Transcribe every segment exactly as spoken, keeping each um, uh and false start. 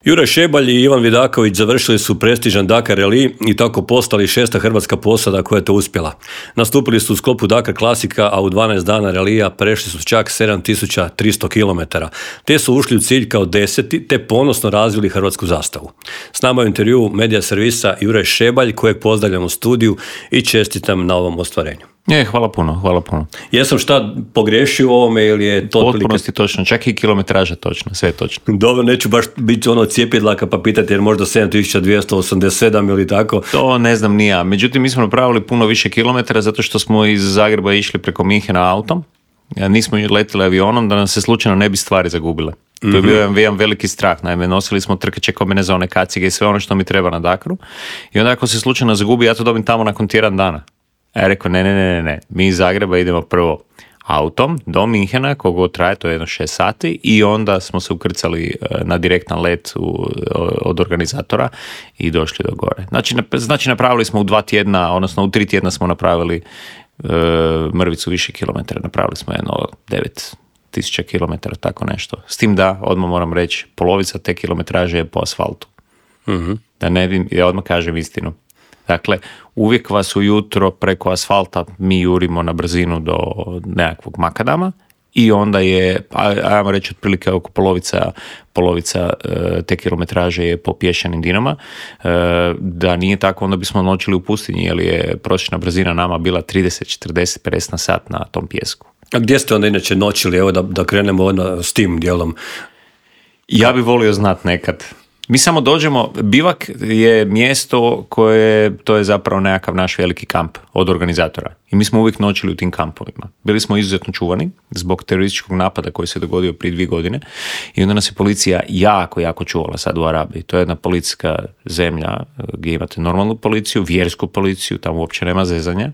Juraj Šebalj i Ivan Vidaković završili su prestižan Dakar Rally i tako postali šesta hrvatska posada koja je to uspjela. Nastupili su u sklopu Dakar klasika, a u dvanaest dana ralija prešli su čak sedam tisuća tristo kilometara, te su ušli u cilj kao deseti, te ponosno razvili hrvatsku zastavu. S nama je u intervju medija servisa Juraj Šebalj, kojeg pozdravljam u studiju i čestitam na ovom ostvarenju. Je, hvala puno, hvala puno. Jesam šta pogriješio u ovome ili je to otprilike? Potpunosti točno, čak i kilometraža točno, sve je točno. Dobro, neću baš biti ono cijepidlaka pa pitati jer možda sedam tisuća dvjesto osamdeset sedam ili tako. To ne znam ni ja. Međutim, mi smo napravili puno više kilometara zato što smo iz Zagreba išli preko Minhena autom. Nismo letili avionom da nam se slučajno ne bi stvari zagubile. To je bio jedan, jedan veliki strah. Naime, nosili smo trkače kombinezone, kacige i sve ono što mi treba na Dakaru. I onda ako se slučajno zagubi, ja to dobim tamo nakon tjedan dana. A ja rekao, ne, ne, ne, ne, mi iz Zagreba idemo prvo autom do Minhena, kogo traje, to je jedno šest sati, i onda smo se ukrcali na direktan let u, od organizatora i došli do gore. Znači, znači napravili smo u dva tjedna, odnosno u tri tjedna smo napravili uh, mrvicu više kilometara, napravili smo jedno devet tisuća kilometara, tako nešto. S tim da, odmah moram reći, polovica te kilometraže je po asfaltu. Mm-hmm. Da ne, ja odmah kažem istinu. Dakle, uvijek vas ujutro preko asfalta mi jurimo na brzinu do nekakvog makadama i onda je, ajmo reći, otprilike oko polovica, polovica e, te kilometraže je po pješčanim dinama. E, da nije tako, onda bismo noćili u pustinji, jer je prosječna brzina nama bila trideset, četrdeset, pedeset na sat na tom pjesku. A gdje ste onda inače noćili? Evo da, da krenemo onda s tim dijelom. Ja bi volio znat nekad. Mi samo dođemo, bivak je mjesto koje, to je zapravo nekakav naš veliki kamp od organizatora. I mi smo uvijek noćili u tim kampovima. Bili smo izuzetno čuvani zbog terorističkog napada koji se dogodio prije dvije godine i onda nas je policija jako, jako čuvala sad u Arabiji. To je jedna policijska zemlja gdje imate normalnu policiju, vjersku policiju, tamo uopće nema zezanja.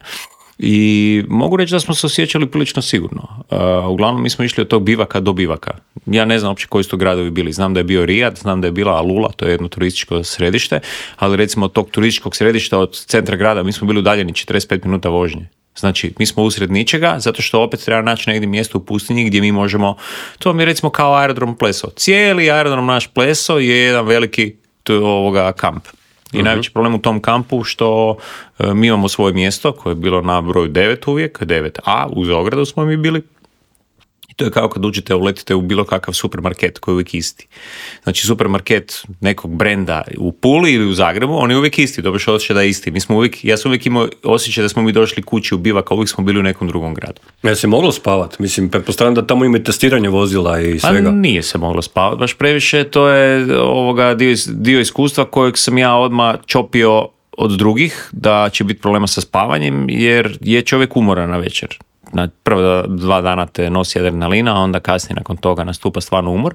I mogu reći da smo se osjećali prilično sigurno. Uh, uglavnom mi smo išli od tog bivaka do bivaka. Ja ne znam uopće koji su to gradovi bili. Znam da je bio Rijad, znam da je bila Alula, to je jedno turističko središte, ali recimo od tog turističkog središta od centra grada mi smo bili udaljeni četrdeset pet minuta vožnje. Znači, mi smo usred ničega, zato što opet treba naći negdje mjesto u pustinji gdje mi možemo, to mi je recimo kao aerodrom Pleso. Cijeli aerodrom naš Pleso je jedan veliki ovoga kamp. I uh-huh. najveći problem u tom kampu što e, mi imamo svoje mjesto koje je bilo na broju devet uvijek, devet a, uz ogradu smo mi bili. I to je kao kad uđete, uletite u bilo kakav supermarket koji je uvijek isti. Znači supermarket nekog brenda u Puli ili u Zagrebu, on je uvijek isti, dobiješ osjećaj da je isti. Mi smo uvijek, ja sam uvijek imao osjećaj da smo mi došli kući u bivak, a uvijek smo bili u nekom drugom gradu. Ja se moglo spavati? Mislim, pretpostavljam da tamo ima testiranje vozila i svega. A nije se moglo spavati, baš previše, to je ovoga dio, dio iskustva kojeg sam ja odmah čopio od drugih, da će biti problema sa spavanjem, jer je čovjek umoran na večer. Na prva dva dana te nosi adrenalina, a onda kasnije nakon toga nastupa stvarno umor.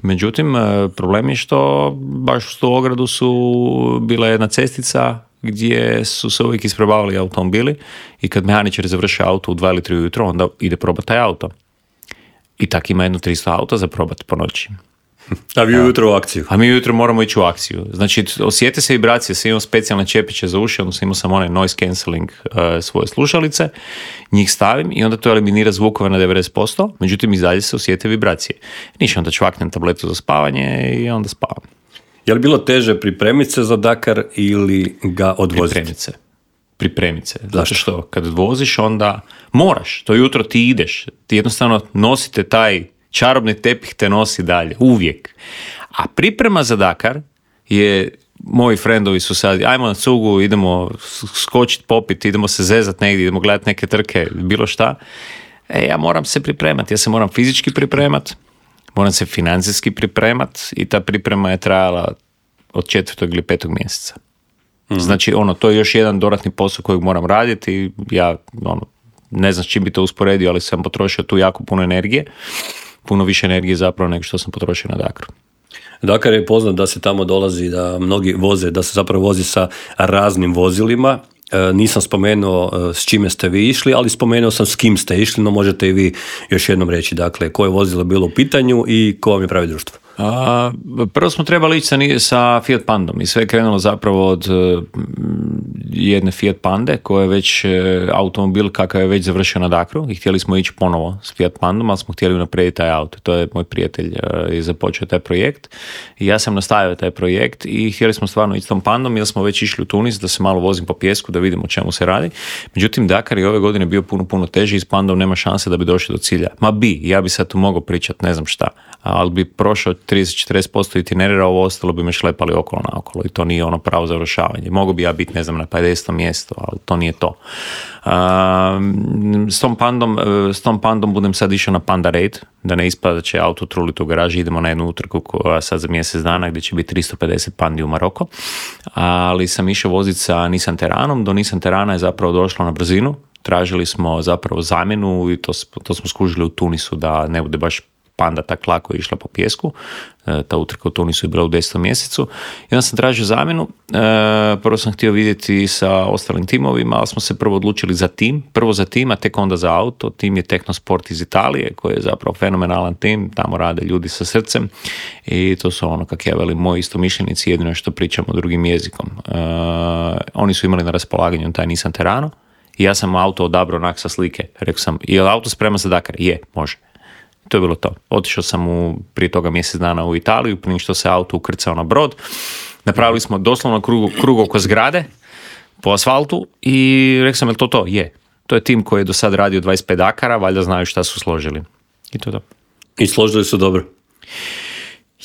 Međutim, problem je što baš u tu ogradu su bila jedna cestica gdje su se uvijek isprobavali automobili i kad mehaničar završi auto u dva ili tri ujutro, onda ide probati taj auto. I tak ima jedno tristo auta za probati po noći. A vi ujutro u akciju. A mi ujutro moramo ići u akciju. Znači, osjete se vibracije, sam imao specijalne čepiće za uši, odnosno imao sam onaj noise cancelling uh, svoje slušalice, njih stavim i onda to eliminira zvukove na devedeset posto, međutim i dalje se osjete vibracije. Ništa, onda čvaknem tabletu za spavanje i onda spavam. Je li bilo teže pripremiti se za Dakar ili ga odvoziti? Pripremiti se. Pripremiti se. Zato što kad voziš onda moraš, to jutro ti ideš, ti jednostavno nosite taj čarobni tepih te nosi dalje, uvijek. A priprema za Dakar je, moji frendovi su sad, ajmo na cugu, idemo skočiti, popiti, idemo se zezati negdje, idemo gledati neke trke, bilo šta. E, ja moram se pripremati, ja se moram fizički pripremati, moram se financijski pripremati i ta priprema je trajala od četvrtog ili petog mjeseca. Mm-hmm. Znači, ono, to je još jedan dodatni posao kojeg moram raditi i ja, ono, ne znam s čim bi to usporedio, ali sam potrošio tu jako puno energije. Puno više energije zapravo nego što sam potrošio na Dakaru. Dakar je poznat da se tamo dolazi, da mnogi voze, da se zapravo vozi sa raznim vozilima. E, nisam spomenuo s čime ste vi išli, ali spomenuo sam s kim ste išli, no možete i vi još jednom reći, dakle, koje vozilo je bilo u pitanju i ko vam je pravi društvo? A, prvo smo trebali ići sa, sa Fiat Pandom i sve je krenulo zapravo od jedne Fiat Pande, koja je već automobil kakav je već završio na Dakaru i htjeli smo ići ponovo s Fiat Pandom, ali smo htjeli unaprijediti taj auto. To je moj prijatelj je započeo taj projekt i ja sam nastavio taj projekt i htjeli smo stvarno ići s tom Pandom jer smo već išli u Tunis da se malo vozim po pijesku da vidimo o čemu se radi. Međutim, Dakar je ove godine bio puno, puno teži i s Pandom nema šanse da bi došli do cilja. Ma bi, ja bi sad tu mogao pričati, ne znam šta, ali bi prošao trideset do četrdeset posto itinerera, ovo ostalo bi me šlepali okolo na okolo i to nije ono pravo završavanje. Mogu bi ja biti, ne znam, na pedesetom mjestu, ali to nije to. Uh, s, tom pandom, s tom pandom budem sad išao na Panda Raid, da ne ispada da će auto truliti u garaži, idemo na jednu utrku koja sad za mjesec dana gdje će biti tristo pedeset pandi u Maroko, ali sam išao voziti sa Nissan Teranom, do Nissan Terana je zapravo došlo na brzinu, tražili smo zapravo zamjenu i to, to smo skužili u Tunisu da ne bude baš Panda tak lako je išla po pijesku, ta utrka u Tunisu je bila u desetom mjesecu i onda sam tražio zamjenu, prvo sam htio vidjeti sa ostalim timovima, ali smo se prvo odlučili za tim, prvo za tim, a tek onda za auto. Tim je Technosport iz Italije, koji je zapravo fenomenalan tim, tamo rade ljudi sa srcem i to su ono, kak ja velim, moji istomišljenici, jedino što pričamo drugim jezikom. Uh, oni su imali na raspolaganju taj Nissan Terano i ja sam auto odabrao onak sa slike, rekao sam, je li auto spreman za Dakar? Je, može. To je bilo to. Otišao sam u, prije toga mjesec dana u Italiju, prije što se auto ukrcao na brod. Napravili smo doslovno krug, krug oko zgrade po asfaltu i rekao sam, je li to to? Je. To je tim koji je do sad radio dvadeset pet Dakara, valjda znaju šta su složili. I to je to. I složili su dobro?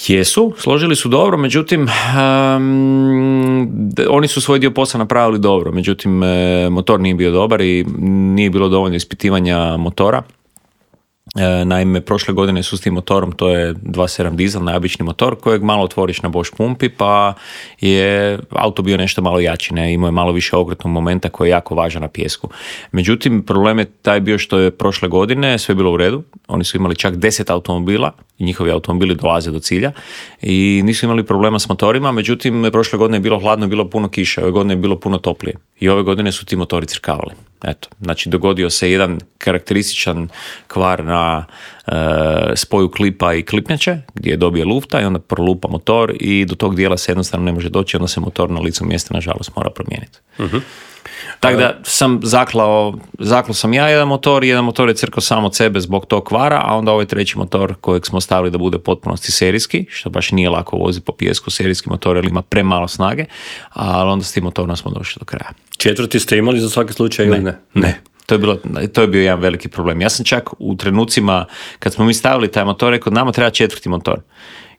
Jesu, složili su dobro, međutim, um, oni su svoj dio posla napravili dobro, međutim, motor nije bio dobar i nije bilo dovoljno ispitivanja motora. E, naime, prošle godine su s tim motorom, to je dva sedam dizel, najobični motor kojeg malo otvoriš na Bosch pumpi, pa je auto bio nešto malo jači, ne? Imao je malo više okrutnog momenta koji je jako važan na pijesku. Međutim, problem je taj bio što je prošle godine sve bilo u redu, oni su imali čak deset automobila i njihovi automobili dolaze do cilja i nisu imali problema s motorima, međutim, prošle godine je bilo hladno, bilo puno kiše, ove godine je bilo puno toplije i ove godine su ti motori crkavali. Eto, znači dogodio se jedan karakterističan kvar na e, spoju klipa i klipnjače gdje je dobio lufta i onda prolupa motor i do tog dijela se jednostavno ne može doći, onda se motor na licu mjesta nažalost mora promijeniti. Uh-huh. Tako da sam zaklao, zaklao sam ja jedan motor i jedan motor je crkao sam od sebe zbog tog kvara, a onda ovaj treći motor kojeg smo stavili da bude potpunosti serijski, što baš nije lako voziti po pijesku, serijski motor jer ima premalo snage, ali onda s tim motorom smo došli do kraja. Četvrti ste imali za svaki slučaj ili ne? Ne, ne. To je, bilo, to je bio jedan veliki problem. Ja sam čak u trenucima kad smo mi stavili taj motor, rekao nama treba četvrti motor.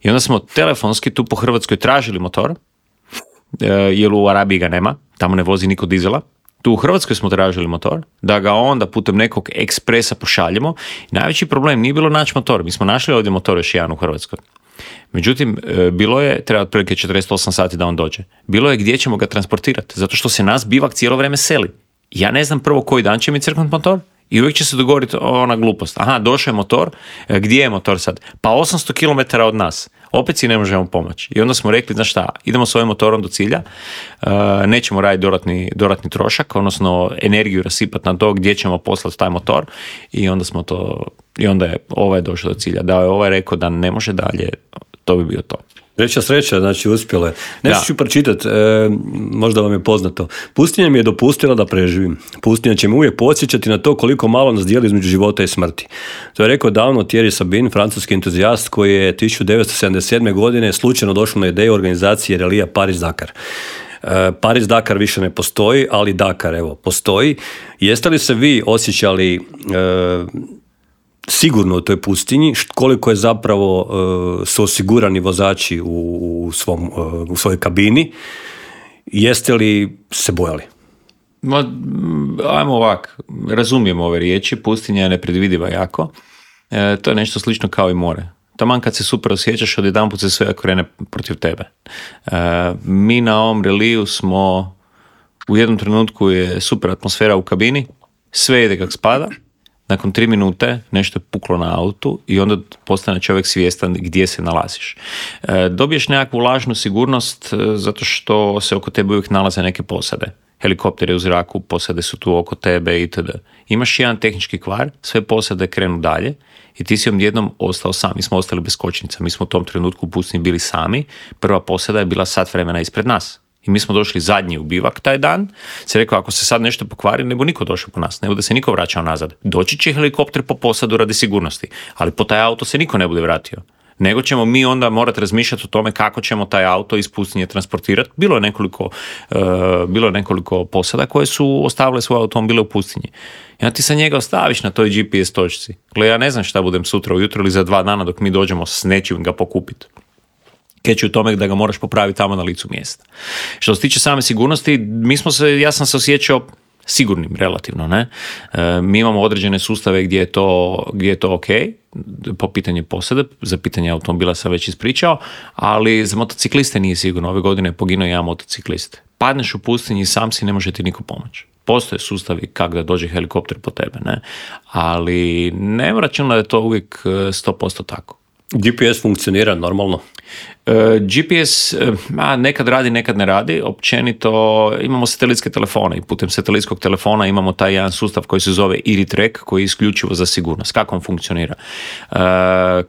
I onda smo telefonski tu po Hrvatskoj tražili motor, jer u Arabiji ga nema, tamo ne vozi niko dizela. Tu u Hrvatskoj smo tražili motor, da ga onda putem nekog ekspresa pošaljemo. I najveći problem nije bilo naći motor. Mi smo našli ovdje motor još jedan u Hrvatskoj. Međutim, bilo je, treba otprilike četrdeset osam sati da on dođe. Bilo je gdje ćemo ga transportirati, zato što se nas bivak cijelo vrijeme seli. Ja ne znam prvo koji dan će mi crknuti motor i uvijek će se dogoditi ona glupost. Aha, došao je motor, gdje je motor sad? Pa osamsto kilometara od nas. Opet si ne možemo pomoći. I onda smo rekli, znaš šta, idemo s ovim motorom do cilja, uh, nećemo raditi dodatni, dodatni trošak, odnosno energiju rasipati na to gdje ćemo poslati taj motor i onda smo to, i onda je ovaj došao do cilja. Da je ovaj rekao da ne može dalje, to bi bio to. Treća sreća, znači uspjela je. Nešto ću pročitati, e, možda vam je poznato. Pustinja mi je dopustila da preživim. Pustinja će me uvijek podsjećati na to koliko malo nas dijeli između života i smrti. To je rekao davno Thierry Sabine, francuski entuzijast koji je tisuću devetsto sedamdeset sedme. godine slučajno došao na ideju organizacije relija Paris-Dakar. E, Paris-Dakar više ne postoji, ali Dakar, evo, postoji. Jeste li se vi osjećali e, sigurno u toj pustinji, koliko je zapravo uh, su osigurani vozači u, u, svom, uh, u svojoj kabini, jeste li se bojali? Ma, ajmo ovak, razumijem ove riječi, pustinja je nepredvidiva jako, e, to je nešto slično kao i more. Taman kad se super osjećaš, odjedanput se sve krene protiv tebe. E, mi na ovom reliju smo, u jednom trenutku je super atmosfera u kabini, sve ide kak spada, nakon tri minute nešto je puklo na autu i onda postane čovjek svjestan gdje se nalaziš. E, dobiješ nekakvu lažnu sigurnost e, zato što se oko tebe uvijek nalaze neke posade. Helikoptere u zraku, posade su tu oko tebe itd. Imaš jedan tehnički kvar, sve posade krenu dalje i ti si odjednom ostao sam. Mi smo ostali bez kočnica, mi smo u tom trenutku u pustinji bili sami. Prva posada je bila sat vremena ispred nas. I mi smo došli zadnji u bivak taj dan. Se rekao, ako se sad nešto pokvari, ne bu niko došao po nas, ne bude se niko vraćao nazad. Doći će helikopter po posadu radi sigurnosti, ali po taj auto se niko ne bude vratio. Nego ćemo mi onda morati razmišljati o tome kako ćemo taj auto iz pustinje transportirati. Bilo je nekoliko, uh, bilo je nekoliko posada koje su ostavile svoje automobile u pustinji. I onda ti sa njega ostaviš na toj G P S točci. Gle, ja ne znam šta budem sutra ujutro ili za dva dana dok mi dođemo s nečim ga pokupiti. Keći u tome da ga moraš popraviti tamo na licu mjesta. Što se tiče same sigurnosti, mi smo se, ja sam se osjećao sigurnim relativno, ne? E, mi imamo određene sustave gdje je to, gdje je to ok, po pitanju posade, za pitanje automobila sam već ispričao, ali za motocikliste nije sigurno. Ove godine je poginuo jedan motociklist. Padneš u pustinji i sam si, ne može ti niko pomoći. Postoje sustavi kako da dođe helikopter po tebe, ne? Ali ne računam da je to uvijek sto posto tako. G P S funkcionira normalno? E, G P S a, nekad radi, nekad ne radi. Općenito imamo satelitske telefone i putem satelitskog telefona imamo taj jedan sustav koji se zove I R I Track koji je isključivo za sigurnost. Kako on funkcionira? E,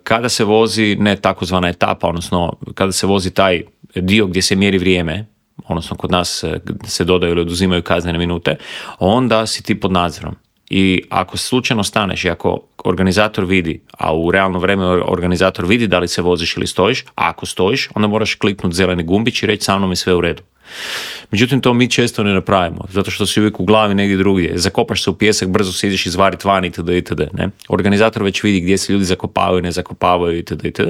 kada se vozi ne takozvana etapa, odnosno kada se vozi taj dio gdje se mjeri vrijeme, odnosno kod nas se dodaju ili oduzimaju kaznene minute, onda si ti pod nadzorom. I ako slučajno staneš i ako organizator vidi, a u realno vrijeme organizator vidi da li se voziš ili stojiš, a ako stojiš, onda moraš kliknuti zeleni gumbić i reći sa mnom je sve u redu. Međutim, to mi često ne napravimo, zato što si uvijek u glavi negdje drugdje. Zakopaš se u pijesak, brzo se ideš izvariti van itd. itd. Ne? Organizator već vidi gdje se ljudi zakopavaju, ne zakopavaju itd. itd.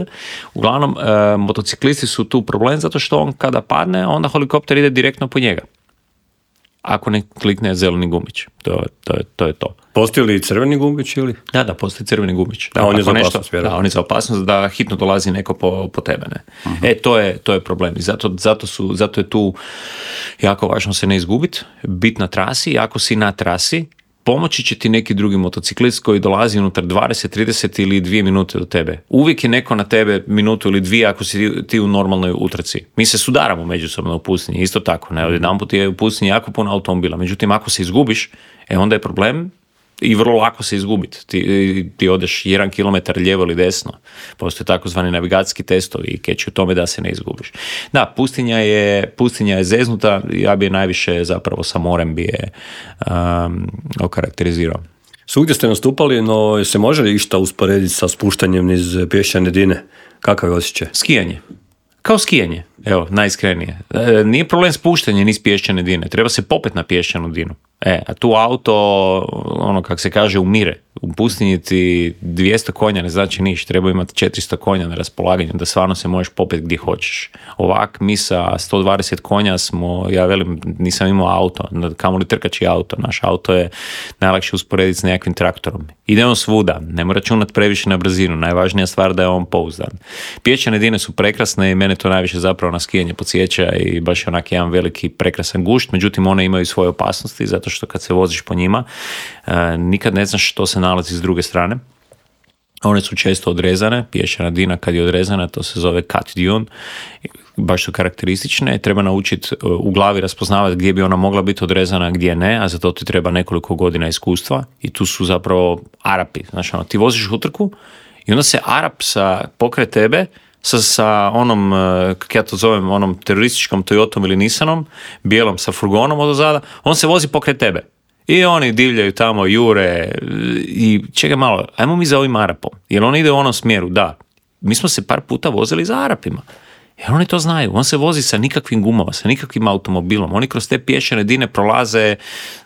Uglavnom, e, motociklisti su tu problem zato što on kada padne, onda helikopter ide direktno po njega. Ako ne klikne zeleni gumbić. To, to, je, to je to. Postoji li crveni gumbić ili? Da, da, postoji crveni gumbić. Da, a on je za nešto, opasnost, vjerojatno. Da, on je za opasnost da hitno dolazi neko po, po tebe. Ne? Uh-huh. E, to je, to je problem. I zato, zato, su, zato je tu jako važno se ne izgubiti, biti na trasi. I ako si na trasi, pomoći će ti neki drugi motociklist koji dolazi unutar dvadeset, trideset ili dvije minute do tebe. Uvijek je neko na tebe minutu ili dvije ako si ti u normalnoj utrci. Mi se sudaramo međusobno u pustinji, isto tako. Ne? Odjedanput je u pustinji jako puno automobila. Međutim, ako se izgubiš, e onda je problem i vrlo lako se izgubiti. Ti, ti odeš jedan kilometar lijevo ili desno. Postoje takozvani navigacijski testovi i keći u tome da se ne izgubiš. Da, pustinja je, pustinja je zeznuta, ja bi je najviše zapravo sa morem bi je um, okarakterizirao. Svugdje ste nastupali, no se može li išta usporediti sa spuštanjem niz pješčane dine? Kakav je osjećaj? Skijanje. Kao skijanje, evo, najiskrenije. E, nije problem spuštanje niz pješčane dine, treba se popet na pješčanu dinu. E, a tu auto, ono kak se kaže, umire. U pustinji ti dvjesto konja ne znači niš, treba imati četiristo konja na raspolaganju da stvarno se možeš popet gdje hoćeš. Ovak, mi sa sto dvadeset konja smo, ja velim, nisam imao auto, kamoli trkači auto, naš auto je najlakše usporediti s nekakvim traktorom. Ide on svuda, ne mora računati previše na brzinu, najvažnija stvar da je on pouzdan. Pješčane dine su prekrasne i mene to najviše zapravo na skijanje podsjeća i baš je onak jedan veliki prekrasan gušt, međutim one imaju svoje opasnosti zato što kad se voziš po njima nikad ne znaš što se nalazi s druge strane. One su često odrezane, pješčana dina kad je odrezana, to se zove cut dune, baš su karakteristične, treba naučiti u glavi raspoznavati gdje bi ona mogla biti odrezana, gdje ne, a za to ti treba nekoliko godina iskustva i tu su zapravo Arapi. Znači, ono, ti voziš utrku i onda se Arap sa, pokraj tebe sa, sa onom, kako ja to zovem, onom terorističkom Toyotom ili Nissanom, bijelom sa furgonom od ozada, on se vozi pokraj tebe. I oni divljaju tamo, jure i čekaj malo, ajmo mi za ovim Arapom, jer on ide u onom smjeru, da. Mi smo se par puta vozili za Arapima, jer oni to znaju, on se vozi sa nikakvim gumama, sa nikakvim automobilom, oni kroz te pješčane dine prolaze,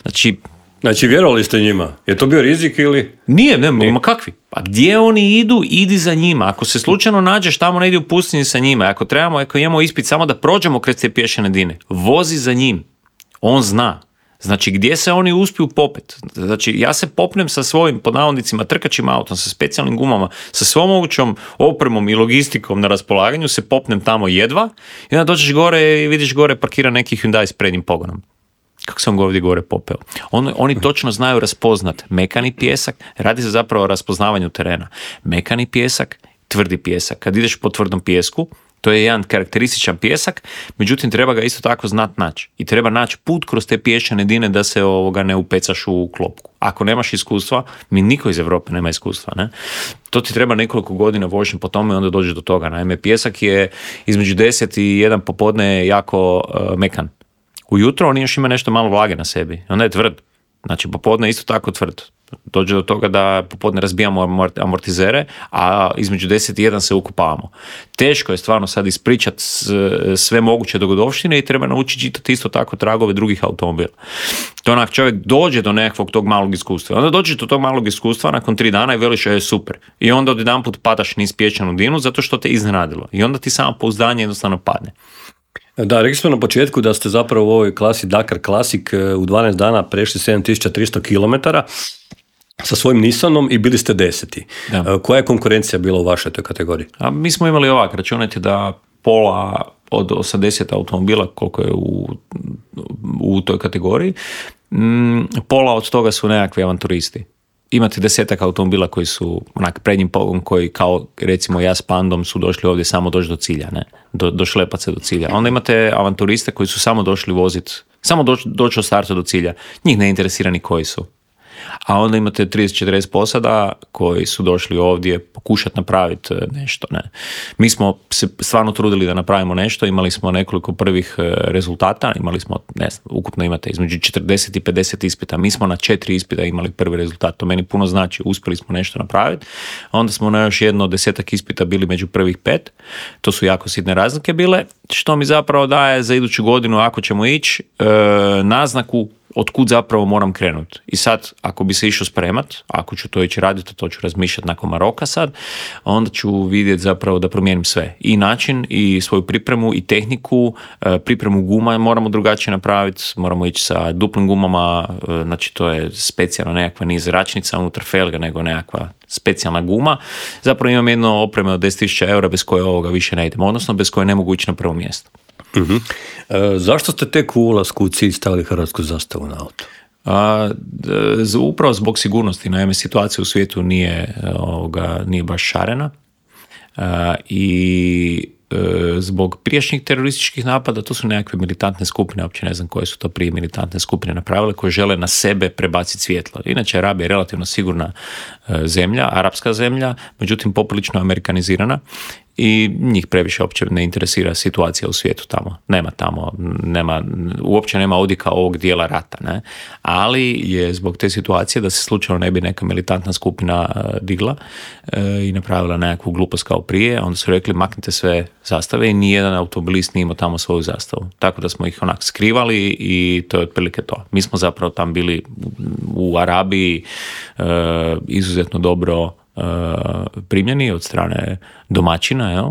znači... Znači, vjerovali ste njima? Je to bio rizik ili... Nije, ne, Nije. Ma kakvi? Pa gdje oni idu, idi za njima. Ako se slučajno nađeš tamo negdje u pustinji sa njima, ako trebamo, ako imamo ispit samo da prođemo kroz te pješčane dine, vozi za njim. On zna. Znači, gdje se oni uspiju popet? Znači, ja se popnem sa svojim, pod navodnicima, trkačim autom, sa specijalnim gumama, sa svom mogućom opremom i logistikom na raspolaganju, se popnem tamo jedva i onda dođeš gore i vidiš gore parkira neki Hyundai s prednjim pogonom. Kako sam ga ovdje gore popeo. On, oni točno znaju raspoznat mekani pjesak, radi se zapravo o raspoznavanju terena. Mekani pjesak, tvrdi pjesak. Kad ideš po tvrdom pjesku, To je jedan karakterističan pijesak, međutim treba ga isto tako znat naći. I treba naći put kroz te pješčane dine da se ovoga ne upecaš u klopku. Ako nemaš iskustva, mi niko iz Europe nema iskustva, ne? To ti treba nekoliko godina vožnje po tome i onda dođeš do toga. Naime, pijesak je između deset i jedan popodne jako uh, mekan. Ujutro on još ima nešto malo vlage na sebi. Onda je tvrd. Znači, popodne je isto tako tvrd. Dođe do toga da popodne razbijamo amortizere, a između deset i jedan se ukupavamo. Teško je stvarno sad ispričati sve moguće dogodovštine i treba naučiti čitati isto tako tragove drugih automobila. To onak čovjek dođe do nekakvog tog malog iskustva. Onda dođe do tog malog iskustva nakon tri dana i veliš je super. I onda odjedanput padaš niz pješčanu dinu zato što te iznenadilo. I onda ti samo pouzdanje jednostavno padne. Da, rekli smo na početku da ste zapravo u ovoj klasi Dakar Classic u dvanaest dana prešli sedam tisuća tristo kilometara sa svojim Nissanom i bili ste deseti. Da. Koja je konkurencija bila u vašoj toj kategoriji? A mi smo imali ovak, računajte da pola od osamdeset automobila koliko je u, u toj kategoriji, m, pola od toga su nekakvi avanturisti. Imate desetak automobila koji su onak prednjim pogom koji kao recimo ja s Pandom su došli ovdje samo doći do cilja, ne? Do, do šlepaca do cilja. Onda imate avanturiste koji su samo došli voziti, samo doći doć od starta do cilja. Njih ne interesira ni koji su. A onda imate trideset četrdeset posada koji su došli ovdje pokušati napraviti nešto. Ne. Mi smo se stvarno trudili da napravimo nešto, imali smo nekoliko prvih rezultata, imali smo, ne znam, ukupno imate između četrdeset i pedeset ispita. Mi smo na četiri ispita imali prvi rezultat, to meni puno znači, uspjeli smo nešto napraviti. Onda smo na još jedno desetak ispita bili među prvih pet, to su jako sitne razlike bile, što mi zapravo daje za iduću godinu, ako ćemo ići, e, naznaku od kud zapravo moram krenuti. I sad, ako bi se išao spremat, ako ću to ići raditi, to ću razmišljati nakon Maroka sad, onda ću vidjeti zapravo da promijenim sve. I način, i svoju pripremu, i tehniku, pripremu guma moramo drugačije napraviti, moramo ići sa duplim gumama, znači to je specijalno nekakva niz zračnica unutar felga, nego nekakva specijalna guma. Zapravo imam jedno opreme od deset tisuća eura bez koje ovoga više ne idemo, odnosno bez koje ne mogu ići na prvo mjesto. Uh-huh. E, zašto ste tek u ulasku u cilj stavili hrvatsku zastavu na auto? A, d- upravo zbog sigurnosti. Naime, situacija u svijetu nije, ovoga, nije baš šarena a, i e, zbog prijašnjih terorističkih napada, to su nekakve militantne skupine, uopće ne znam koje su to prije militantne skupine napravile, koje žele na sebe prebaciti svjetlo. Inače, Arabija je relativno sigurna e, zemlja, arapska zemlja, međutim poprilično amerikanizirana i njih previše uopće ne interesira situacija u svijetu tamo. Nema tamo, nema, uopće nema odjeka ovog dijela rata, ne? Ali je zbog te situacije da se slučajno ne bi neka militantna skupina uh, digla uh, i napravila nekakvu glupost kao prije, onda su rekli maknite sve zastave i nijedan automobilist nije imao tamo svoju zastavu. Tako da smo ih onak skrivali i to je otprilike to. Mi smo zapravo tam bili u Arabiji uh, izuzetno dobro primljeni od strane domaćina, jel?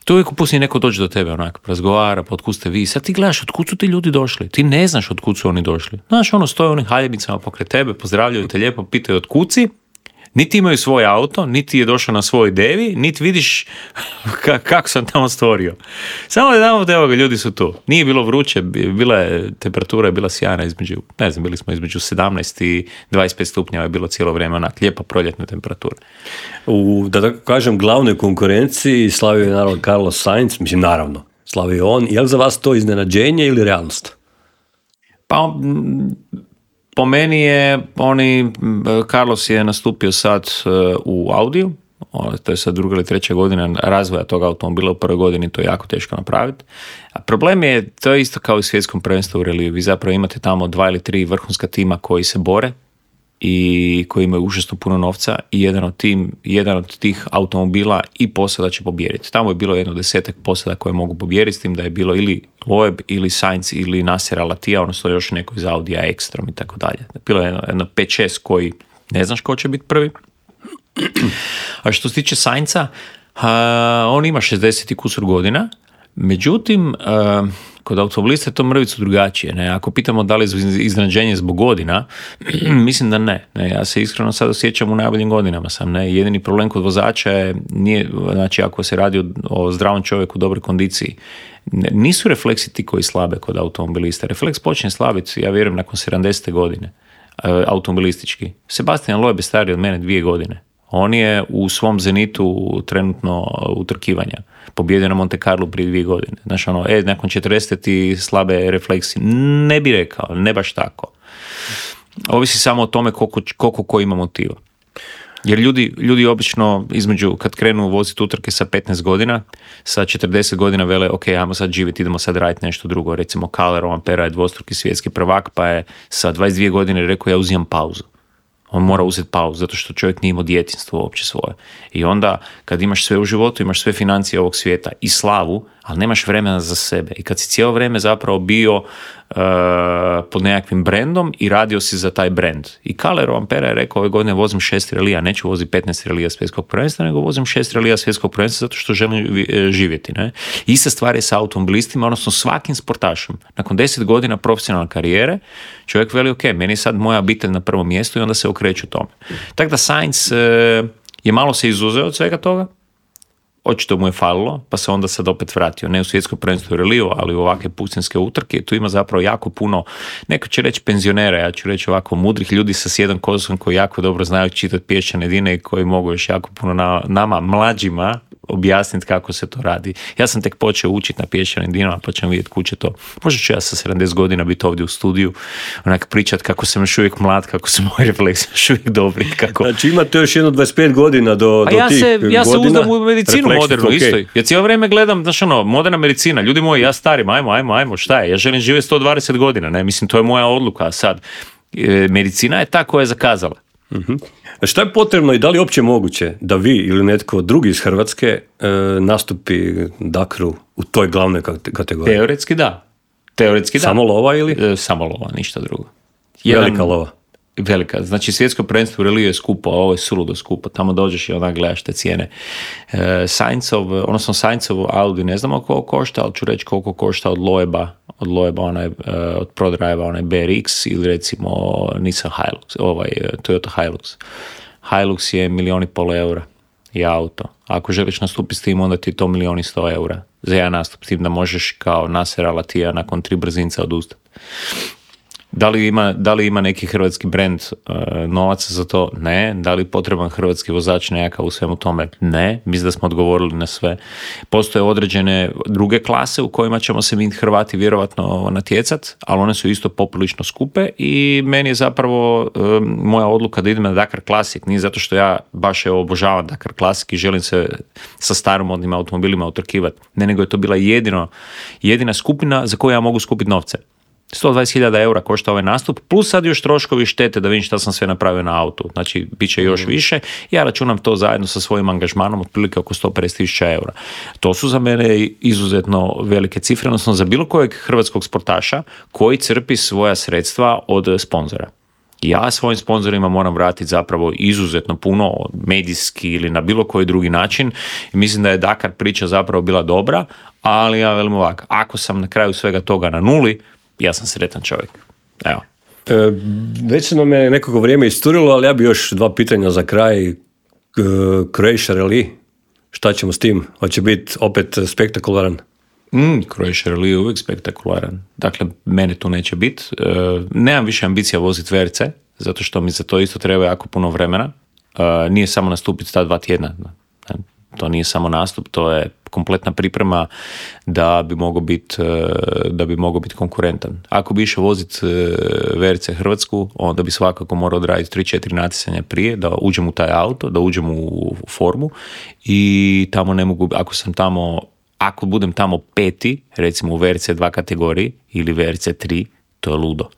To uvijek pusti neko dođe do tebe, onak, razgovara, pa otkud ste vi, sad ti gledaš otkud su ti ljudi došli, ti ne znaš otkud su oni došli. Znaš, ono, stoje onim haljebicama pokraj tebe, pozdravljaju te lijepo, pitaju otkud si, niti imaju svoj auto, niti je došao na svoj devi, niti vidiš ka- kako sam tamo stvorio. Samo da damo evo ga, ljudi su tu. Nije bilo vruće, bila je, temperatura je bila sjajna između, ne znam, bili smo između sedamnaest i dvadeset pet stupnjeva je bilo cijelo vrijeme, onak, lijepa proljetna temperatura. U, da tako kažem, glavnoj konkurenciji slavio je naravno Carlos Sainz, mislim naravno, slavio on. Je li za vas to iznenađenje ili realnost? Pa, po meni je, oni, Carlos je nastupio sad u Audiju, to je sad druga ili treća godina razvoja tog automobila, u prvoj godini to je jako teško napraviti. A problem je, to je isto kao i svjetskom prvenstvu u reliju, vi zapravo imate tamo dva ili tri vrhunska tima koji se bore i koji imaju užasno puno novca i jedan od, tim, jedan od tih automobila i posada će pobijediti. Tamo je bilo jedno desetak posada koje mogu pobijediti, s tim da je bilo ili Loeb, ili Sainz, ili Nasser Al-Attija, odnosno još neko iz Audija, Ekstrom i tako dalje. Bilo je jedno, jedno pet šest koji ne znaš ko će biti prvi. A što se tiče Sainza, uh, on ima šezdeset i kusur godina, međutim, uh, kod automobilista je to mrvicu drugačije. Ne? Ako pitamo da li je iznenađenje zbog godina, mislim da ne. ne. Ja se iskreno sad osjećam u najboljim godinama sam. Ne? Jedini problem kod vozača je, nije, znači ako se radi o, o zdravom čovjeku u dobroj kondiciji, nisu refleksi ti koji slabe kod automobilista. Refleks počne slabiti, ja vjerujem, nakon sedamdesete godine, automobilistički. Sebastian Loeb je stariji od mene dvije godine. On je u svom zenitu trenutno utrkivanja. Pobjedio na Monte Carlo prije dvije godine. Znaš, ono, e, nakon četrdeset i slabe refleksije. Ne bi rekao, ne baš tako. Ovisi samo o tome koliko, koliko ko ima motiva. Jer ljudi, ljudi obično između, kad krenu voziti utrke sa petnaest godina, sa četrdeset godina vele, ok, ajmo sad živjeti, idemo sad raditi nešto drugo. Recimo, Kalle Rovanpera je dvostruki svjetski prvak, pa je sa dvadeset dvije godine rekao, ja uzimam pauzu. On mora uzeti pauzu, zato što čovjek nije imao djetinjstvo uopće svoje. I onda, kad imaš sve u životu, imaš sve financije ovog svijeta i slavu, ali nemaš vremena za sebe. I kad si cijelo vrijeme zapravo bio uh, pod nekakvim brendom i radio si za taj brend. I Kalle Rovanpera je rekao, ove godine vozim šest relija, neću voziti petnaest relija svjetskog prvenstva, nego vozim šest relija svjetskog prvenstva zato što želim živjeti. Ne? Ista stvar je sa automobilistima, odnosno svakim sportašem. Nakon deset godina profesionalne karijere, čovjek veli, ok, meni je sad moja obitelj na prvom mjestu i onda se okreću tome. Tako da Sainz uh, je malo se izuzeo od svega toga, očito mu je falilo, pa se onda sad opet vratio, ne u svjetsko prvenstvo u reliju, ali u ovakve pustinske utrke. Tu ima zapravo jako puno, neko će reći penzionera, ja ću reći ovako mudrih ljudi sa sjedom kozom koji jako dobro znaju čitati pješčane dine i koji mogu još jako puno na, nama, mlađima, objasniti kako se to radi. Ja sam tek počeo učiti na pješčanim dinama, pa ćemo vidjeti kuće to. Možda ću ja sa sedamdeset godina biti ovdje u studiju, onak pričat kako sam još uvijek mlad, kako su moji refleksi još uvijek dobri. Kako... Znači imate još jedno dvadeset pet godina do, do ja tih se, godina. Ja se uzdam u medicinu modernu, okay. Isto. Ja cijelo vrijeme gledam, znaš ono, moderna medicina, ljudi moji, ja starim, ajmo, ajmo, ajmo, šta je? Ja želim živjeti sto dvadeset godina, ne, mislim, to je moja odluka, a sad, e, medicina je ta koja je zakazala. Uh-huh. Šta je potrebno i da li je uopće moguće da vi ili netko drugi iz Hrvatske e, nastupi Dakaru u toj glavnoj kategoriji? Teoretski da. Teoretski da. Samo lova ili? E, samo lova, ništa drugo. Jedan, velika lova. Velika. Znači svjetsko prvenstvo u reliju je skupo, a ovo je suludo skupo. Tamo dođeš i onak gledaš te cijene. E, Sainzov, odnosno Sainzov Audi, ne znamo koliko košta, ali ću reći koliko košta od Loeba, od Loeba, onaj, od ProDrive, onaj B R X ili recimo Nissan Hilux, ovaj Toyota Hilux. Hilux je milijon i pol eura i auto. Ako želiš nastupiti s tim, onda ti je to milijon i sto eura. Za jedan nastup s tim da možeš kao Nasser Al-Attija nakon tri brzinca odustati. Da li ima, da li ima neki hrvatski brend uh, novaca za to? Ne. Da li potreban hrvatski vozač nekakav u svemu tome? Ne. Mislim da smo odgovorili na sve. Postoje određene druge klase u kojima ćemo se mi Hrvati vjerovatno natjecat, ali one su isto poprilično skupe i meni je zapravo um, moja odluka da idem na Dakar Classic. Nije zato što ja baš evo obožavam Dakar Classic i želim se sa staromodnim automobilima utrkivati. Ne, nego je to bila jedino, jedina skupina za koju ja mogu skupiti novce. sto dvadeset hiljada eura košta ovaj nastup, plus sad još troškovi štete da vidim šta sam sve napravio na autu. Znači, bit će još više. Ja računam to zajedno sa svojim angažmanom, otprilike oko sto pedeset tisuća eura. To su za mene izuzetno velike cifre, odnosno za bilo kojeg hrvatskog sportaša koji crpi svoja sredstva od sponzora. Ja svojim sponzorima moram vratiti zapravo izuzetno puno, medijski ili na bilo koji drugi način. I mislim da je Dakar priča zapravo bila dobra, ali ja velim ovako, ako sam na kraju svega toga na nuli, ja sam sretan čovjek. Evo. E, već se nam je nekako vrijeme isturilo, ali ja bi još dva pitanja za kraj. E, Croatia Rally, šta ćemo s tim? Hoće biti opet spektakularan? Mm, Croatia Rally je uvijek spektakularan. Dakle, mene tu neće biti. E, nemam više ambicija voziti V R C, zato što mi za to isto treba jako puno vremena. E, nije samo nastupiti ta dva tjedna. To nije samo nastup, to je kompletna priprema da bi mogao biti da bi mogao biti konkurentan. Ako bi išao voziti V R C Hrvatsku, onda bi svakako morao odraditi tri četiri natjecanja prije, da uđem u taj auto, da uđem u formu i tamo ne mogu, ako sam tamo, ako budem tamo peti, recimo u V R C dva kategoriji ili V R C tri, to je ludo.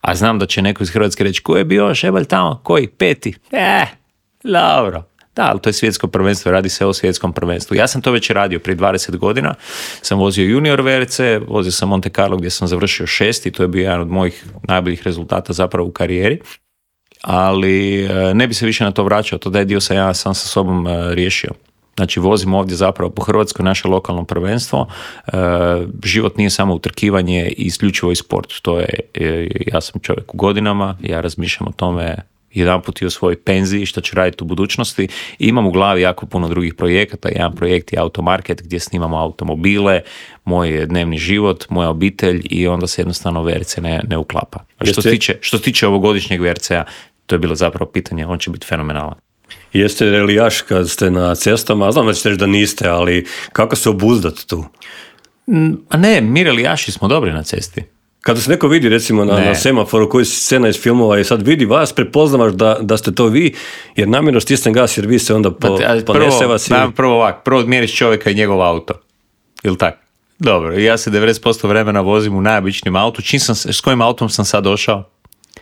A znam da će neko iz Hrvatske reći, ko je bio Šebalj tamo? Koji? Peti? Eh, dobro. Da, ali to je svjetsko prvenstvo, radi se o svjetskom prvenstvu. Ja sam to već radio prije dvadeset godina, sam vozio junior V R C, vozio sam Monte Carlo gdje sam završio šesti, to je bio jedan od mojih najboljih rezultata zapravo u karijeri, ali ne bi se više na to vraćao, to da je dio sam ja sam sa sobom riješio. Znači vozim ovdje zapravo po Hrvatskoj naše lokalno prvenstvo, život nije samo utrkivanje i isključivo i sport, to je, ja sam čovjek u godinama, ja razmišljam o tome jedan put i o svojoj penziji, što ću raditi u budućnosti. I imam u glavi jako puno drugih projekata. Jedan projekt je Automarket gdje snimamo automobile, moj dnevni život, moja obitelj i onda se jednostavno V R C ne, ne uklapa. A što se tiče, što se tiče ovogodišnjeg V R C-a, to je bilo zapravo pitanje, on će biti fenomenalan. Jeste relijaš kad ste na cestama, znam da ćete reći da niste, ali kako se obuzdati tu? A ne, mi relijaši smo dobri na cesti. Kada se neko vidi recimo na, na semaforu koji si scena iz filmova i sad vidi vas, prepoznavaš da, da ste to vi, jer namjerno stisne gas jer vi se onda po, ponese vas. Prvo, prvo ovak, prvo odmjeriš čovjeka i njegov auto. Ili tako? Dobro, ja se devedeset posto vremena vozim u najobičnijem autu. Čim sam, s kojim autom sam sad došao?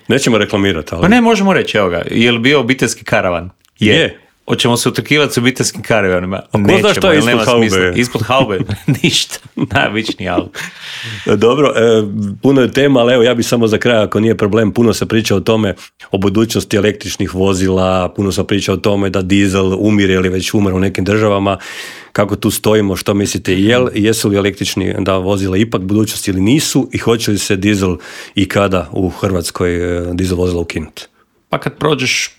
Nećemo reklamirati, ali... Pa ne, možemo reći, evo ga, je li bio obiteljski karavan? Je. je. Hoćemo se utrkivati s obiteljskim karavanima? A ko zna što je ispod haube? Ispod haube? Ništa. Najobičniji auto. Dobro, e, puno je tema, ali evo ja bih samo za kraj, ako nije problem, puno se priča o tome, o budućnosti električnih vozila, puno se priča o tome da dizel umire ili već umre u nekim državama. Kako tu stojimo, što mislite, jel, jesu li električni da vozila ipak budućnost ili nisu i hoće li se dizel i kada u Hrvatskoj dizel vozila ukinuti? Pa kad prođeš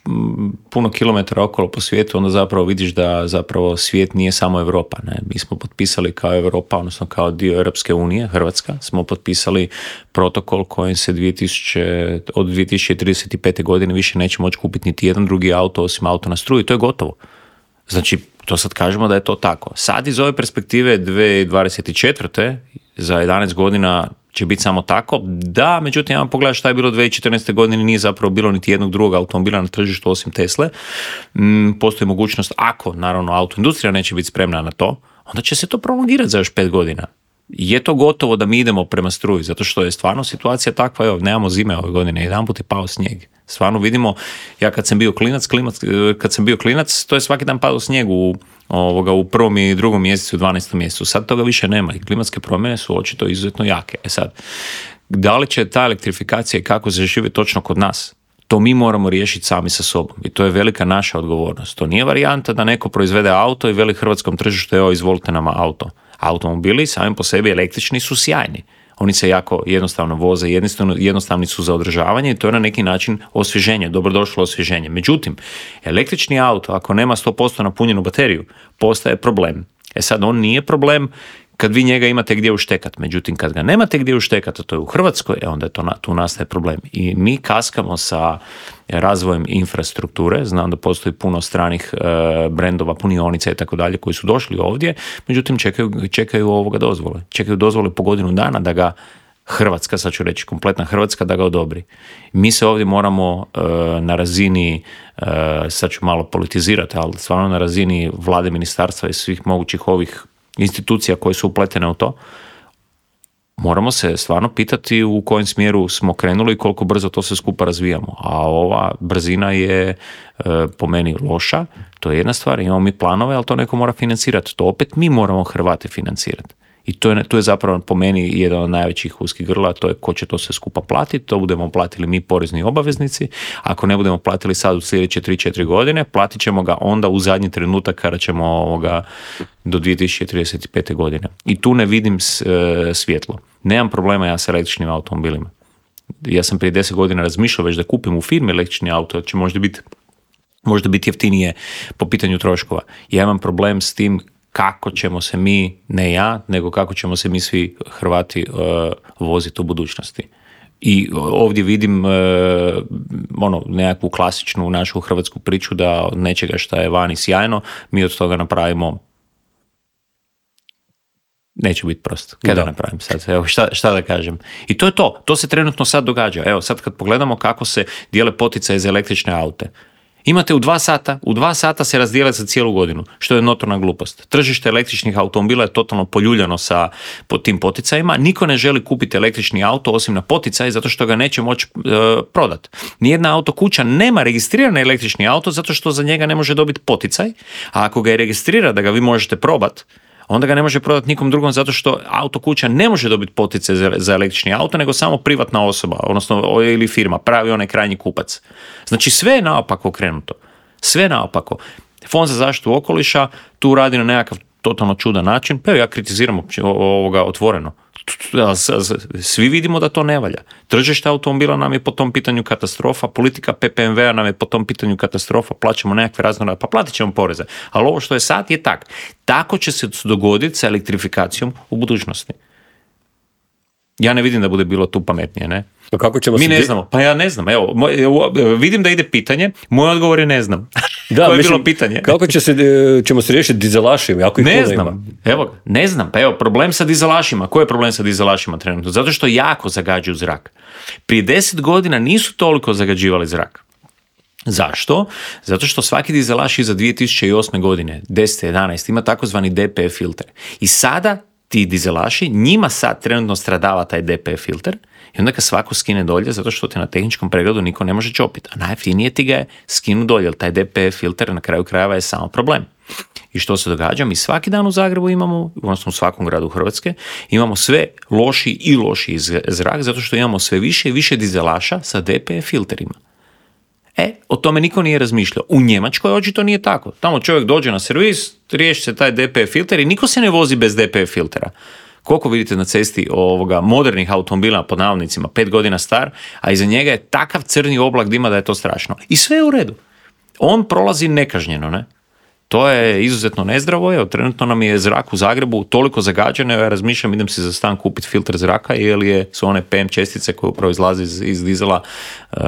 puno kilometara okolo po svijetu, onda zapravo vidiš da zapravo svijet nije samo Europa. Ne? Mi smo potpisali kao Europa, odnosno kao dio Europske unije, Hrvatska, smo potpisali protokol kojim se dvije tisuće, od dvije tisuće trideset pete. godine više neće moći kupiti niti jedan drugi auto osim auto na struju. To je gotovo. Znači, to sad kažemo da je to tako. Sad iz ove perspektive dvije tisuće dvadeset četvrte. za jedanaest godina će biti samo tako. Da, međutim, ja vam pogledam šta je bilo dvije tisuće četrnaeste. godine, nije zapravo bilo niti jednog drugog automobila na tržištu osim Tesle. Mm, postoji mogućnost, ako naravno autoindustrija neće biti spremna na to, onda će se to prolongirati za još pet godina. Je to gotovo da mi idemo prema struji, zato što je stvarno situacija takva, evo, nemamo zime ove godine, jedan put je pao snijeg. Stvarno vidimo, ja kad sam bio klinac, klimac, kad sam bio klinac, to je svaki dan padao snijeg u, ovoga, u prvom i drugom mjesecu, u dvanaestom mjesecu. Sad toga više nema i klimatske promjene su očito izuzetno jake. E sad, da li će ta elektrifikacija i kako se živi točno kod nas? To mi moramo riješiti sami sa sobom i to je velika naša odgovornost. To nije varijanta da neko proizvede auto i veli hrvatskom tržištu, evo, izvolite nama auto. Automobili sami po sebi električni su sjajni. Oni se jako jednostavno voze, jednostavno, jednostavni su za održavanje i to je na neki način osvježenje, dobrodošlo osvježenje. Međutim, električni auto, ako nema sto posto napunjenu bateriju, postaje problem. E sad, on nije problem kad vi njega imate gdje uštekat. Međutim, kad ga nemate gdje uštekat, a to je u Hrvatskoj, e onda je to, tu nastaje problem. I mi kaskamo sa razvojem infrastrukture, znam da postoji puno stranih e, brendova, punionica i tako dalje koji su došli ovdje, međutim čekaju, čekaju ovoga dozvole. Čekaju dozvole po godinu dana da ga Hrvatska, sad ću reći kompletna Hrvatska, da ga odobri. Mi se ovdje moramo e, na razini, e, sad ću malo politizirati, ali stvarno na razini vlade, ministarstva i svih mogućih ovih institucija koje su upletene u to, moramo se stvarno pitati u kojem smjeru smo krenuli i koliko brzo to sve skupa razvijamo. A ova brzina je e, po meni loša, to je jedna stvar, imamo mi planove, ali to neko mora financirati. To opet mi moramo Hrvati financirati. I to je, to je zapravo po meni jedan od najvećih uskih grla, to je ko će to sve skupa platiti, to budemo platili mi porezni obaveznici, ako ne budemo platili sad u sljedeće tri četiri godine, platit ćemo ga onda u zadnji trenutak kada ćemo ovoga do dvije tisuće trideset pete. godine. I tu ne vidim svjetlo. Nemam problema ja sa električnim automobilima. Ja sam prije deset godina razmišljao već da kupim u firmi električni auto, će možda biti, možda biti jeftinije po pitanju troškova. Ja imam problem s tim kako ćemo se mi, ne ja, nego kako ćemo se mi svi Hrvati uh, voziti u budućnosti. I ovdje vidim uh, ono, nekakvu klasičnu našu hrvatsku priču da od nečega što je vani sjajno, mi od toga napravimo, neće biti prosto. Kada da napravim sad? Evo, šta, šta da kažem? I to je to. To se trenutno sad događa. Evo, sad kad pogledamo kako se dijele poticaje za električne aute. Imate u dva sata, u dva sata se razdijele za cijelu godinu, što je notorna glupost. Tržište električnih automobila je totalno poljuljano sa po tim poticajima. Niko ne želi kupiti električni auto osim na poticaj zato što ga neće moći e, prodati. Nijedna autokuća nema registrirani električni auto zato što za njega ne može dobiti poticaj, a ako ga je registrira da ga vi možete probati, onda ga ne može prodati nikom drugom zato što autokuća ne može dobiti poticaj za, za električni auto, nego samo privatna osoba, odnosno ili firma, pravi onaj krajnji kupac. Znači sve je naopako krenuto. Sve je naopako. Fond za zaštitu okoliša tu radi na nekakav totalno čudan način, pa ja kritiziram ovoga otvoreno. Svi vidimo da to ne valja. Tržište automobila nam je po tom pitanju katastrofa, politika P P M V-a nam je po tom pitanju katastrofa, plaćamo nekakve razne, pa platit ćemo poreze. Ali ovo što je sad je tak. Tako će se dogoditi sa elektrifikacijom u budućnosti. Ja ne vidim da bude bilo tu pametnije, ne? Pa kako ćemo Mi se ne di- znamo, pa ja ne znam, evo, moj, evo, vidim da ide pitanje, moj odgovor je ne znam. Da, Koje je mislim, bilo pitanje? Kako će se, e, ćemo se riješiti dizelašima? Ako ih Ne puno znam, ima? evo ga, ne znam, pa evo, problem sa dizelašima, koji je problem sa dizelašima trenutno? Zato što jako zagađuju zrak. Prije deset godina nisu toliko zagađivali zrak. Zašto? Zato što svaki dizelaš iza dvije tisuće osme godine, deset jedanaest, ima takozvani D P F filter. I sada ti dizelaši, njima sad trenutno stradava taj D P F filter i onda kad svako skine dolje, zato što te na tehničkom pregledu niko ne može čopiti. A najjeftinije ti ga je skinu dolje, jer taj D P F filter na kraju krajeva je samo problem. I što se događa? Mi svaki dan u Zagrebu imamo, odnosno u svakom gradu Hrvatske, imamo sve loši i loši zrak, zato što imamo sve više i više dizelaša sa D P F filterima. E, o tome niko nije razmišljao. U Njemačkoj očito nije tako. Tamo čovjek dođe na servis, riješi se taj D P F filter i niko se ne vozi bez D P F filtera. Koliko vidite na cesti ovoga modernih automobila, pod navodnicima, pet godina star, a iza njega je takav crni oblak dima da je to strašno. I sve je u redu. On prolazi nekažnjeno, ne? To je izuzetno nezdravo, evo, trenutno nam je zrak u Zagrebu toliko zagađen, evo ja razmišljam, idem si za stan kupiti filter zraka, jer je, su one P M čestice koje upravo izlaze iz, iz dizela, uh,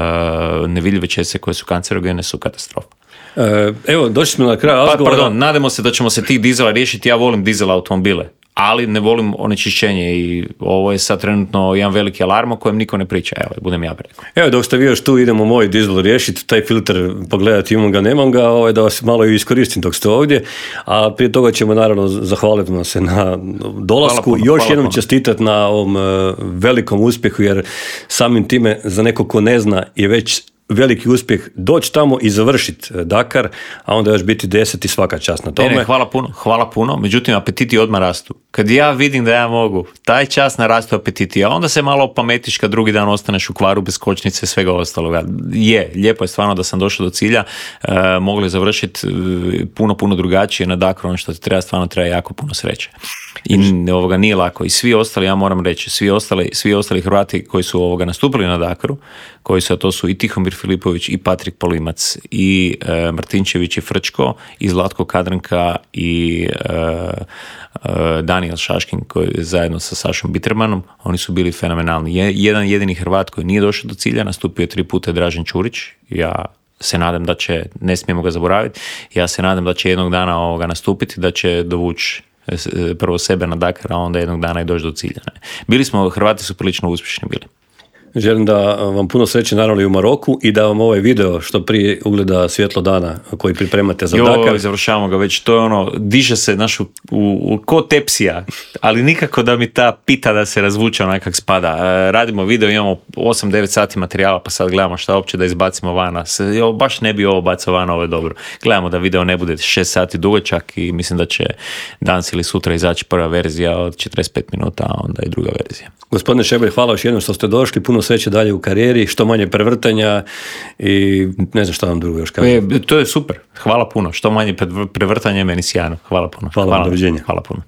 nevidljive čestice koje su kancerogene, su katastrofa. E, evo, došli smo na kraj Pa, razgovora. pardon, nadamo se da ćemo se tih dizela riješiti, ja volim dizel automobile, ali ne volim onečišćenje i ovo je sad trenutno jedan veliki alarm o kojem niko ne priča, evo, budem ja rekao. Evo, dok ste vi još tu, idemo moj dizel riješiti, taj filter pogledati, imam ga, nemam ga, ovaj, da vas malo i iskoristim dok ste ovdje, a prije toga ćemo naravno zahvaliti vam se na dolasku, Hvala puno, još hvala jednom puno. čestitati na ovom uh, velikom uspjehu, jer samim time za neko ko ne zna je već veliki uspjeh doći tamo i završiti Dakar, a onda još biti deset i svaka čast na tome. Ne, ne, hvala puno, hvala puno, međutim apetiti odmah rastu. Kad ja vidim da ja mogu, taj čas narastu apetiti, a onda se malo opametiš kad drugi dan ostaneš u kvaru bez kočnice i svega ostaloga. Je, lijepo je stvarno da sam došao do cilja, e, mogli završiti e, puno, puno drugačije na Dakaru, ono što ti treba, stvarno treba jako puno sreće. I ovoga nije lako. I svi ostali, ja moram reći, svi ostali, svi ostali Hrvati koji su ovoga nastupili na Dakaru, koji su, a to su i Tihomir Filipović, i Patrik Polimac, i e, Martinčević, i Frčko, i Zlatko Kadranka, i e, e, Daniel Šaškin, koji je zajedno sa Sašom Bittermanom, oni su bili fenomenalni. Je, jedan jedini Hrvat koji nije došao do cilja, nastupio je tri puta Dražen Čurić. Ja se nadam da će, ne smijemo ga zaboraviti, ja se nadam da će jednog dana ovoga nastupiti, da će dovući prvo sebe na Dakar, a onda jednog dana i doći do cilja. Ne. Bili smo, Hrvati su prilično uspješni bili. Želim da vam puno sreće naravno i u Maroku i da vam ovaj video što prije ugleda svjetlo dana koji pripremate za jo, Dakar. Završavamo ga već, to je ono, diže se naš u, u, u ko tepsija, ali nikako da mi ta pita da se razvuče onak kak spada. E, radimo video, imamo osam devet sati materijala, pa sad gledamo šta uopće da izbacimo vana. Se, jo, baš ne bi ovo bacao vana, ovo je dobro. Gledamo da video ne bude šest sati dugačak i mislim da će danas ili sutra izaći prva verzija od četrdeset pet minuta, a onda i druga verzija. Gospodine Šebelj, hvala još jednom što ste došli, puno sreće dalje u karijeri, što manje prevrtanja i ne znam šta vam drugo još kažem. E, to je super, hvala puno, što manje prevrtanja je meni sjajno, hvala puno. Hvala, hvala. Doviđenja. Hvala puno.